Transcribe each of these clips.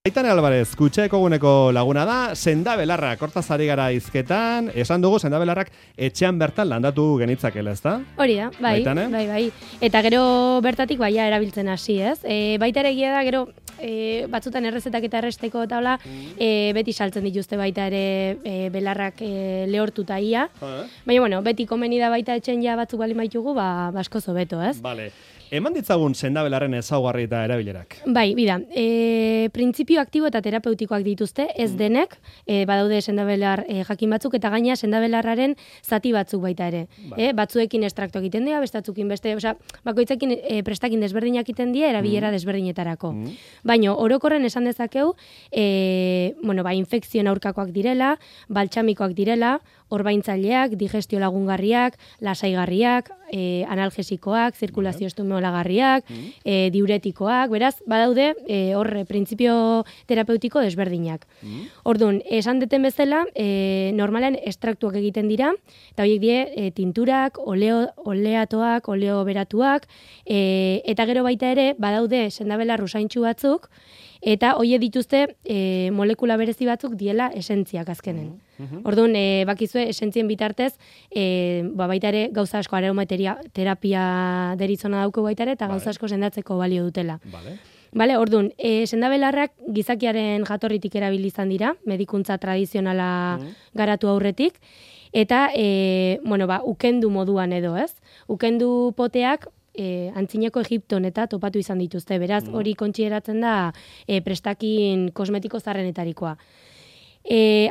Aitane Alvarez, Kutxaeko guneko laguna da, sendabelarrak, hortaz ari gara hizketan, esan dugu sendabelarrak etxean bertan landatu genitzakela, ezta? Hori da, bai, bai. Eta gero bertatik baia erabiltzen hasi, ez? Baita ere egia da, gero batzutan errezetak eta erresteko eta hola, beti saltzen dituzte baita ere belarrak lehortuta ia. Baina, bueno, beti komeni da baita etxen ja batzuk bali maitugu, asko zobeto, ez? Vale. Eman ditzagun sendabelarren ezaugarri eta erabilerak. Bai, bida, printzipio aktibo eta terapeutikoak dituzte, ez denek, badaude sendabelar jakin batzuk, eta gaina sendabelarraren zati batzuk baita ere. Batzuekin estrakto egiten dira, bestatzukin beste, osea, bakoitzekin prestakin desberdinak egiten dira, erabilera desberdinetarako. Baina, orokorren esan dezakeu, infekzioen aurkakoak direla, baltsamikoak direla, orbaintzaileak, digestio lagungarriak, lasaigarriak, analgesikoak, zirkulazio estimulagarriak, diuretikoak, beraz, badaude horre printzipio terapeutiko desberdinak. Orduan, esan deten bezala, normalen estraktuak egiten dira, eta horiek die tinturak, oleatoak, oleoberatuak, eta gero baita ere, badaude sendabelar usaintxu batzuk, eta hoie dituzte molekula berezi batzuk diela esentziak azkenen. Orduan, bakizue, esentzien bitartez, baita ere gauza asko aromaterapia deritzona dauko baita ere, eta gauza asko sendatzeko balio dutela. Bale, orduan, sendabelarrak gizakiaren jatorritik erabili izan dira, medikuntza tradizionala garatu aurretik, eta, ukendu moduan edo, ez? Ukendu poteak, antzineko Egipton eta topatu izan dituzte, beraz, hori kontsideratzen da prestakin kosmetiko zarrenetarikoa.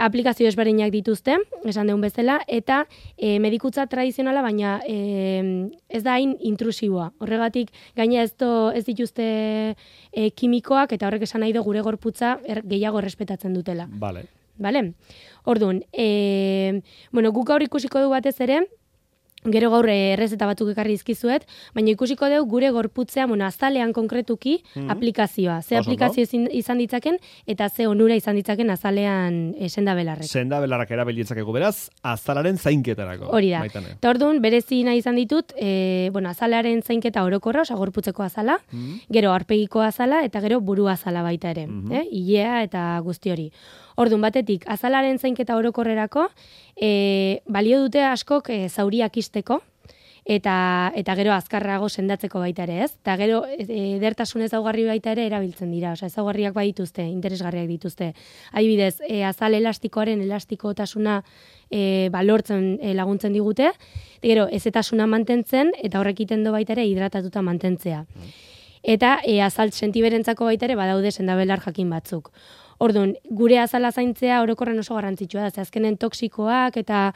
Aplikazio ezberdinak dituzte, esan deun bezala, eta medikutza tradizionala, baina ez da hain intrusiboa. Horregatik, gaina ez dituzte kimikoak, eta horrek esan nahi du gure gorputza gehiago errespetatzen dutela. Vale. Orduan, guk gaur ikusiko du batez ere, gero gaur errezeta batzuk ekarri dizkizuet, baina ikusiko dugu gure gorputzea, azalean konkretuki aplikazioa. Ze aplikazio izan ditzaken, eta ze onura izan ditzaken azalean sendabelarrek. Sendabelarrak erabili ditzakegu beraz, azalaren zainketarako. Hori da. Eta orduan, berezi nahi izan ditut, azalaren zainketa orokorra, osa gorputzeko azala, gero aurpegiko azala, eta gero buru azala baita ere. Ilea eta guzti hori. Orduan, batetik, azalaren zainketa orokorrerako, balio dute askok zauriak isteko, eta gero azkarrago sendatzeko baita ere, ez? Eta gero edertasun ezaugarri baita ere erabiltzen dira, osea, ezaugarriak bai dituzte, interesgarriak dituzte. Adibidez, azal elastikoaren elastikotasuna lortzen laguntzen digute, gero ezetasuna mantentzen, eta horrek egiten du baita ere hidratatuta mantentzea. Eta azalt sentiberentzako baita ere badaude sendabelar jakin batzuk. Orduan, gure azala zaintzea orokorren oso garrantzitsua da, azkenen toksikoak eta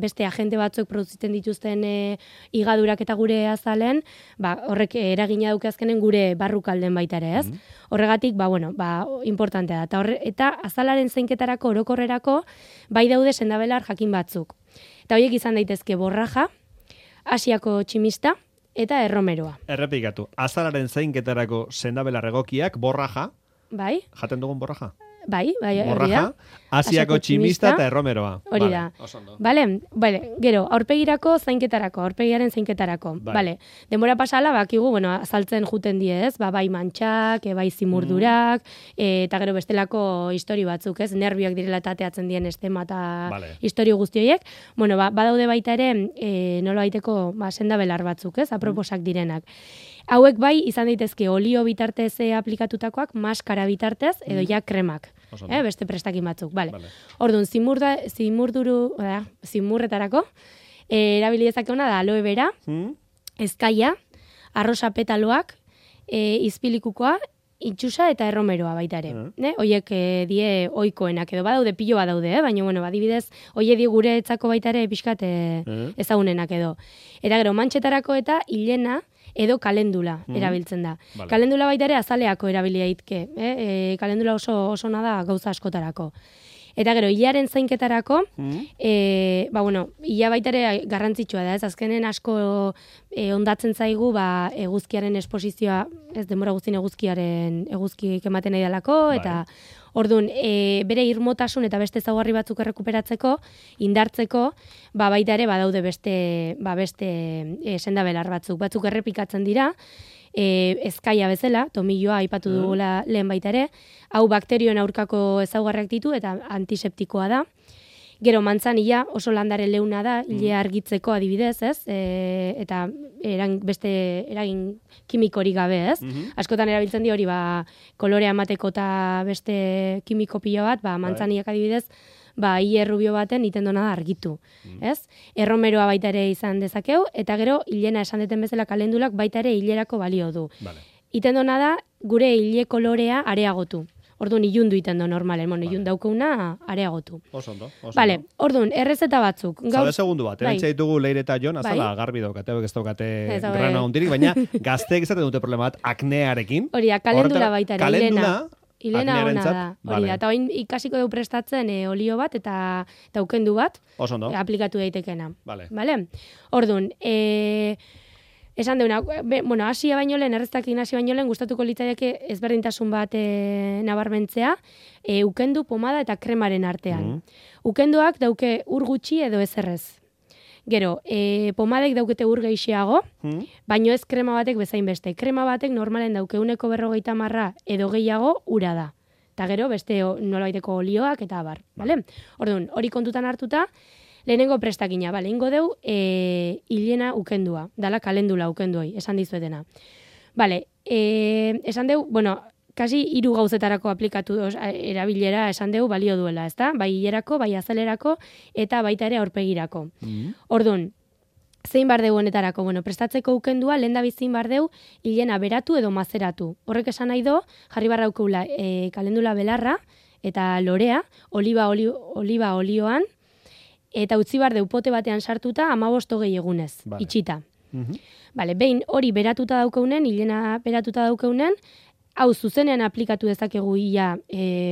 beste agente batzuk produzitzen dituzten higadurak eta gure azalen, horrek eragina dauke azkenen gure barrukalden baita ere, ez? Horregatik, importantea da. Eta azalaren zainketarako orokorrerako bai daude sendabelar jakin batzuk. Eta horiek izan daitezke borraja, Asiako tximista, eta erromeroa. Errepikatu, azalaren zainketarako sendabelar egokiak, borraja. Bai. Jaten dugun borraja? Bai, borraja, Asiako tximista eta erromeroa. Hori da. Bale, gero, aurpegirako zainketarako, aurpegiaren zainketarako. Bale, denbora pasala, bakigu, azaltzen juten die, ez? Bai mantxak, bai zimurdurak, eta gero bestelako histori batzuk, ez? Nervioak direla tateatzen dien estema eta histori guzti horiek. Badaude baita ere, nola baiteko sendabelar batzuk, ez? Aproposak direnak. Hauek bai izan daitezke olio bitartez aplikatutakoak, maskara bitartez, edo ja kremak. Beste prestakin batzuk. Orduan, zimurretarako, erabili dezakeguna da aloe vera, ezkaia, arrosa petaloak, izpilikukoa, itxusa eta erromeroa baita ere. Hoiek die ohikoenak edo badaude pilo badaude, baina adibidez, hoie die gure etzako baita ere pixkat ezagunenak edo. Eta gero, mantxetarako eta hilena edo kalendula erabiltzen da. Kalendula baita ere azaleako erabilia itke. Kalendula oso da gauza askotarako. Eta gero, hilaren zainketarako, hila baita ere garrantzitsua da, ez azkenen asko ondatzen zaigu, eguzkiaren esposizioa, ez denbora guztien eguzkik ematen nahi dalako, eta orduan, bere irmotasun eta beste ezaugarri batzuk errekuperatzeko, indartzeko, baita ere badaude beste sendabelar batzuk errepikatzen dira, ezkaia bezala, tomilloa aipatu dugula lehen baita ere, hau bakterioen aurkako ezaugarriak ditu eta antiseptikoa da. Gero mantzanilla oso landare leuna da, ilea argitzeko adibidez, ez? Eta beste eragin kimikorik gabe, ez? Askotan erabiltzen di hori, kolorea emateko eta beste kimiko pila bat, mantzanillak adibidez, ile rubio baten iten dona da argitu, ez? Erromeroa baita ere izan dezakeu, eta gero hilena esan deten bezala kalendulak baita ere hilerako balio du. Iten dona da gure hile kolorea areagotu. Orduan, ilundu iten do normalen, ilundu daukeuna areagotu. Osondo. Vale, orduan, errezeta batzuk. Zabe segundu bat, erantza ditugu Leire eta Jon, azala garbi daukate, ez daukate grana hondirik, baina gazteek izaten dute problema bat aknearekin. Hori da, kalendula baita ere, Hilena ona da. Hori da, eta oin ikasiko dugu prestatzen olio bat eta ukendu bat aplikatu daitekena. Vale? Orduan, esan deuna, hasia baino lehen, erreztakin hasi baino lehen, gustatuko litzaidake ezberdintasun bat nabarmentzea, ukendu, pomada eta kremaren artean. Ukenduak dauke ur gutxi edo ezerrez. Gero, pomadek daukete ur gehiago, baino ez krema batek bezain beste. Krema batek normalen dauke 150 edo gehiago ura da. Eta gero, beste nolabaiteko olioak eta abar. Orduan, hori kontutan hartuta, lehenengo prestakina, ingo deu, hilena ukendua, dala kalendula ukenduoi, esan dizuetena. Esan deu, kasi 3 gauzetarako aplikatu erabilera esan deu balio duela, ezta? Bai hilerako, bai azalerako, eta baita ere aurpegirako. Orduan, zein bar deu honetarako? Prestatzeko ukendua, lehen da bizin bar deu, hilena beratu edo mazeratu. Horrek esan nahi do, jarri barra ukeula kalendula belarra, eta lorea, oliba olioan, eta utzi bar deu pote batean sartuta 15-20 egunez, itxita. Behin hori beratuta daukeunen, hilena beratuta daukeunen, hau zuzenean aplikatu dezakegu ia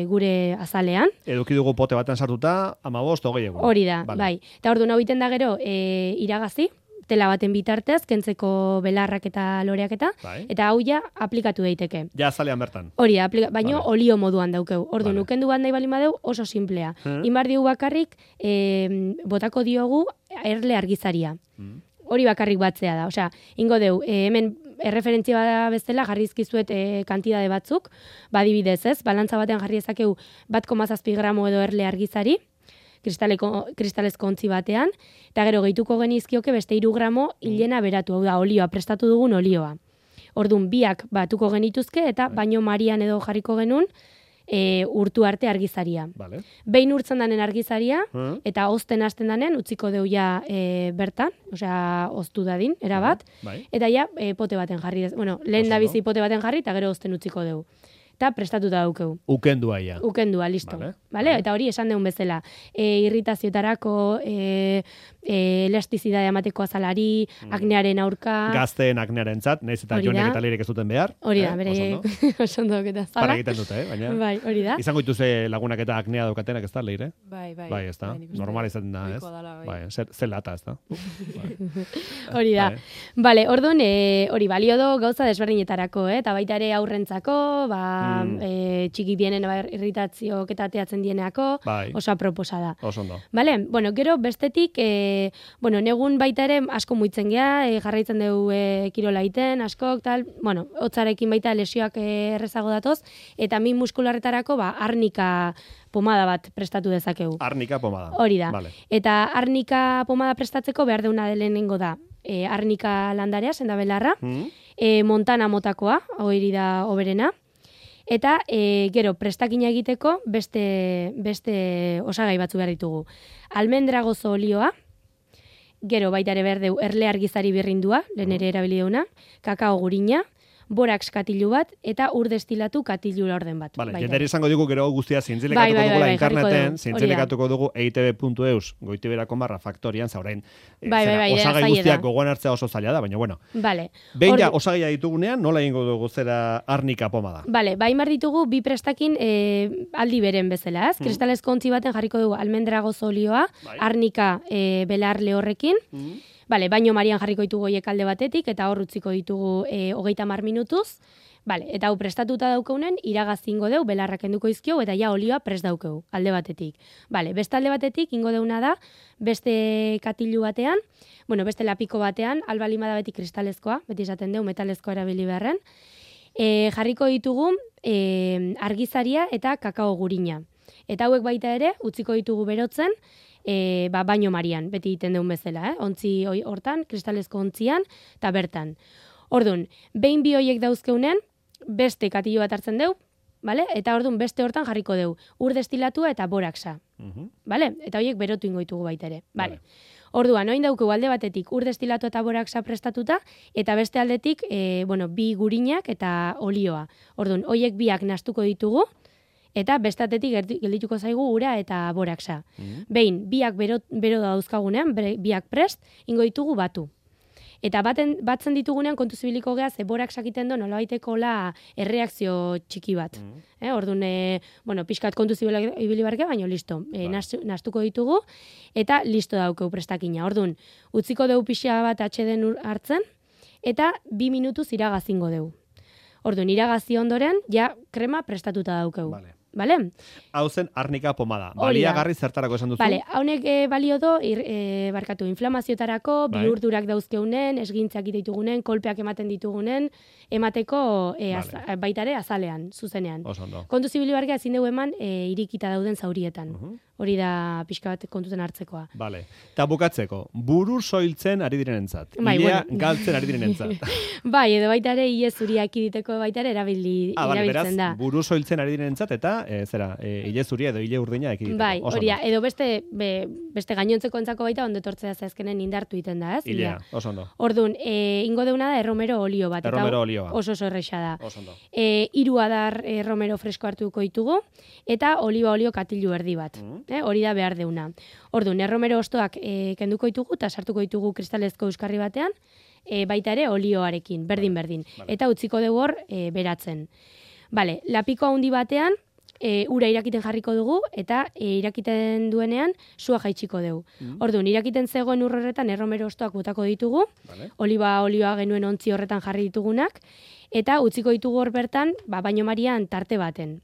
gure azalean. Eduki dugu pote batean sartuta 15-20 egun. Hori da, bai. Eta orduan hau iten da gero iragazi, tela baten bitartez, kentzeko belarrak eta loreak eta hau ja aplikatu daiteke. Ja azalean bertan. Hori da, baino olio moduan daukeu. Orduan, ukendu bat nahi bali madeu oso simplea. Inbar diogu bakarrik, botako diogu erle argizaria. Hori bakarrik batzea da. Osea, ingo deu, hemen erreferentzia bezala jarrizkizuet kantidade batzuk, badibidez ez, balantza batean jarri ezakeu 1,7 gramo edo erle argizari, kristalezko ontzi batean, eta gero gehituko genizkioke beste 3 gramo hilena beratu, hau da, olioa, prestatu dugun olioa. Orduan, biak batuko genituzke, eta baino marian edo jarriko genuen, urtu arte argizaria. Behin urtzen danen argizaria, eta ozten hasten danen, utziko deu ja bertan, osea, oztu dadin, erabat, eta ja, pote baten jarri, lehen da bizi pote baten jarri, eta gero ozten utziko deu. Eta prestatuta daukeu. Ukendua ia. Ukendua, listo. Eta hori esan deun bezala. Irritazioetarako, elastizidade amateko azalari, aknearen aurka. Gazteen aknearen zat, nahiz eta jonek eta lirek ez duten behar. Hori da, bere osondok eta zala. Para egiten dute, baina. Bai, hori da. Izango dituze lagunak eta aknea daukatenak ez da, leire? Bai. Bai, ez da. Normal izaten da, ez? Bai, zer lata, ez da. Hori da. Bale, orduan, hori balio do gauza desberdinetarako, eta baita ere aurrentzako, txiki dienen irritazio eta ateatzen dieneako, oso aproposa da. Osondo. Bale, gero bestetik, negun baita ere asko muitzen gea, jarraitzen dugu kirola iten, askok, tal, hotzarekin baita lesioak errezago datoz, eta min muskularretarako, arnika pomada bat prestatu dezakegu. Arnika pomada. Hori da. Eta arnika pomada prestatzeko behar deuna lehenengo da, arnika landarea, sendabelarra, montana motakoa, hori da oberena, eta gero prestakina egiteko beste osagai batzu behar ditugu. Almendra gozo olioa, gero baita ere behar deu erle argizari birrindua, lehen ere erabili deuna, kakao gurina, borax katilu bat, eta ur destilatu katilu orden bat. Jenderi izango dugu gero guztia zintzilikatuko dugula interneten, zintzilikatuko dugu eitb.eus, goitibera.faktorian, zaurain, osagai guztiak gogoan hartzea oso zaila da, baina bueno. Behin ja osagaia ditugunean, nola egingo dugu zera arnika pomada? Baimar ditugu bi prestakin aldi beren bezala, ez? Kristalezko ontzi baten jarriko dugu almendra gozo olioa, arnika belar lehorrekin, baino marian jarriko ditugu hoiek alde batetik, eta hor utziko ditugu 30 minutuz, Vale, eta hau prestatuta daukeunen, iragaz ingo deu, belarrak enduko izkio, eta ja olioa prest daukeu, alde batetik. Vale, beste alde batetik, ingo deuna da, beste katilu batean, bueno, beste lapiko batean, albalima da beti kristalezkoa, beti esaten deu, metalezkoa erabili beharren, jarriko ditugu argizaria eta kakao gurina. Eta hauek baita ere, utziko ditugu berotzen, baino marian, beti egiten deun bezala, ontzi hortan, kristalezko ontzian, eta bertan. Orduan, behin bi hoiek dauzkeunen, beste katilu bat hartzen deu, vale? Eta orduan beste hortan jarriko deu, ur destilatua eta boraxa. Vale? Eta hoiek berotu ingo ditugu baita ere. Vale. Orduan, oin daukegu alde batetik ur destilatua eta boraxa prestatuta, eta beste aldetik, bi gurinak eta olioa. Orduan, hoiek biak nastuko ditugu, eta bestatetik geldituko zaigu ura eta boraxa. Behin, biak bero dauzkagunean, biak prest, ingo ditugu batu. Eta batzen ditugunean kontu zibiliko geha, ze boraxak iten do, nola baiteko erreakzio txiki bat. Orduan, pixkat kontu zibili barke, baina listo. Nastuko ditugu, eta listo daukeu prestakina. Orduan, utziko deu pixa bat atxeden hartzen, eta 2 minutuz iragazingo deu. Orduan, iragazi ondoren, ja krema prestatuta daukeu. Vale? Hau zen arnika pomada. Baliagarri zertarako esan duzu? Vale, haunek balio do, inflamaziotarako, bihurdurak dauzkeunen, esgintzak ditugunen, kolpeak ematen ditugunen, emateko baitare azalean, zuzenean. Kontu zibili barkea ezin dugu eman irikita dauden zaurietan. Hori da pixka bat kontuten hartzekoa. Vale. Ta bukatzeko, buru soiltzen ari direnentzat. Ilea galtzen ari direnentzat. Bai, edo baita ere ile zuriak iditeko baita ere erabiltzen da. Beraz, buru soiltzen ari direnentzat eta ile zuria edo ile urdina ekiditeko. Bai, hori edo beste gainontzeko entzako baita ondo etortzea zazkenen indartu iten da, ez? Ilea, oso ondo. Orduan, ingo deuna da erromero olio bat. Erromero olioa. Oso erresa da. Oso ondo. 3 adar erromero fresko hartuko ditugu, eta oliba olio katilu erdi bat. Hori da behar deuna. Orduan, erromero ostoak kenduko ditugu, eta sartuko ditugu kristalezko euskarri batean, baita ere olioarekin, berdin. Eta utziko dugu hor beratzen. Vale, lapiko handi batean, ura irakiten jarriko dugu, eta irakiten duenean sua jaitsiko dugu. Orduan, irakiten zegoen horretan erromero ostoak botako ditugu, oliba olioa genuen ontzi horretan jarri ditugunak, eta utziko ditugu hor bertan, baino marian tarte baten.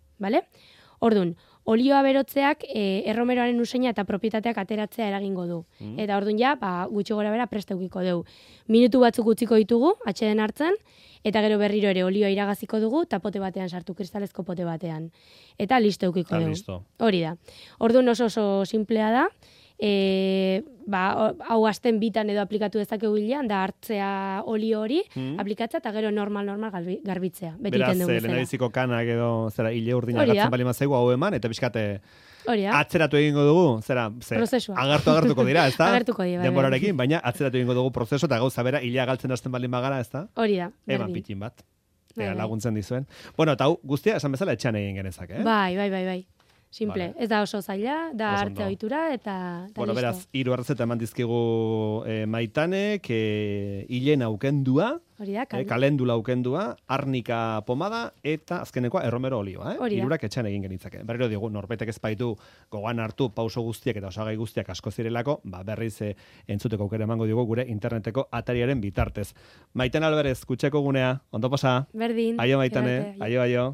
Orduan, olioa berotzeak erromeroaren useina eta propietateak ateratzea eragingo du. Eta orduan gutxi gora bera prest eukiko dugu. Minutu batzuk utziko ditugu, atxeden hartzen, eta gero berriro ere olioa iragaziko dugu, eta pote batean sartu, kristalezko pote batean. Eta listo eukiko dugu. Hori da. Orduan oso simplea da, hau azten bitan edo aplikatu dezakegu hilean, da hartzea olio hori, aplikatza eta gero normal garbitzea. Beraz, lehendabiziko kanak edo hile urdina gartzen bali mazaigu hau eman, eta pixkate atzeratu egingo dugu, agartuko dira, ez da? Denborarekin, baina atzeratu egingo dugu prozeso, eta gauza bera, hilea galtzen hasten bali magara, ez da? Hori da. Eman pitin bat. Laguntzen dizuen. Bueno, eta hau guztia, esan bezala etxean egin genezak, eh? Bai. Simple, ez da oso zaila, da arte ohitura eta listo. Bueno, beraz, 3 errezeta eman dizkigu Maitanek, hilen aukendua, kalendula aukendua, arnika pomada, eta azkenekoa erromero olioa, hirurak etxean egin genitzake. Berriro digu, norbetek ez baitu gogoan hartu pauso guztiak eta osagai guztiak asko zirelako, berriz entzuteko aukera emango digu gure interneteko atariaren bitartez. Maitan Alberez, kutxeko gunea, ondo pasa? Berdin. Aio Maitane, aio.